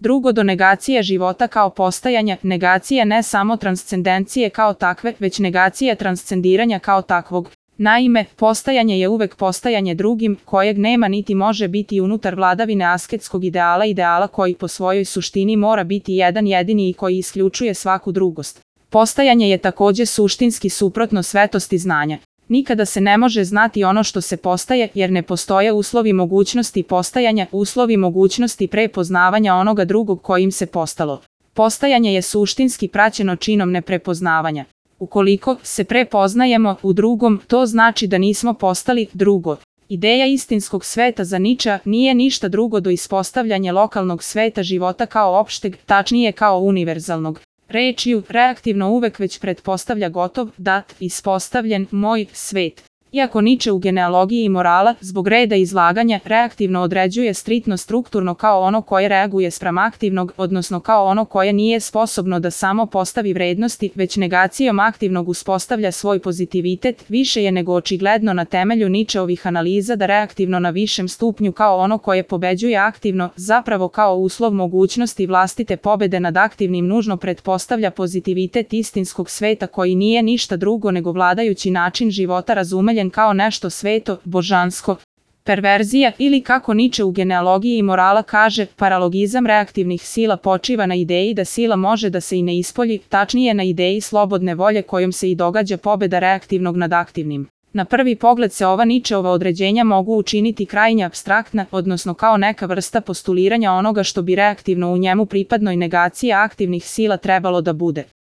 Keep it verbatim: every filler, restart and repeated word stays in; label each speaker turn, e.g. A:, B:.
A: Drugo, do negacije života kao postajanja, negacije ne samo transcendencije kao takve, već negacije transcendiranja kao takvog. Naime, postajanje je uvek postajanje drugim, kojeg nema niti može biti unutar vladavine asketskog ideala, ideala koji po svojoj suštini mora biti jedan jedini i koji isključuje svaku drugost. Postajanje je takođe suštinski suprotno svetosti znanja. Nikada se ne može znati ono što se postaje, jer ne postoje uslovi mogućnosti postajanja, uslovi mogućnosti prepoznavanja onoga drugog kojim se postalo. Postajanje je suštinski praćeno činom neprepoznavanja. Ukoliko se prepoznajemo u drugom, to znači da nismo postali drugo. Ideja istinskog sveta za Ničea nije ništa drugo do ispostavljanja lokalnog sveta života kao opšteg, tačnije kao univerzalnog. Rečju, reaktivno uvek već pretpostavlja gotov, dat, ispostavljen, moj svet. Iako Niče u genealogiji morala, zbog reda izlaganja, reaktivno određuje striktno strukturno kao ono koje reaguje spram aktivnog, odnosno kao ono koje nije sposobno da samo postavi vrednosti, već negacijom aktivnog uspostavlja svoj pozitivitet, više je nego očigledno na temelju Ničeovih analiza da reaktivno na višem stupnju kao ono koje pobeđuje aktivno, zapravo kao uslov mogućnosti vlastite pobede nad aktivnim nužno pretpostavlja pozitivitet istinskog sveta koji nije ništa drugo nego vladajući način života razumeljen kao nešto sveto, božansko. Perverzija, ili kako Niče u genealogiji morala kaže, paralogizam reaktivnih sila počiva na ideji da sila može da se i ne ispolji, tačnije na ideji slobodne volje kojom se i događa pobeda reaktivnog nad aktivnim. Na prvi pogled se ova Ničeova određenja mogu učiniti krajnje apstraktna, odnosno kao neka vrsta postuliranja onoga što bi reaktivno u njemu pripadnoj negaciji aktivnih sila trebalo da bude.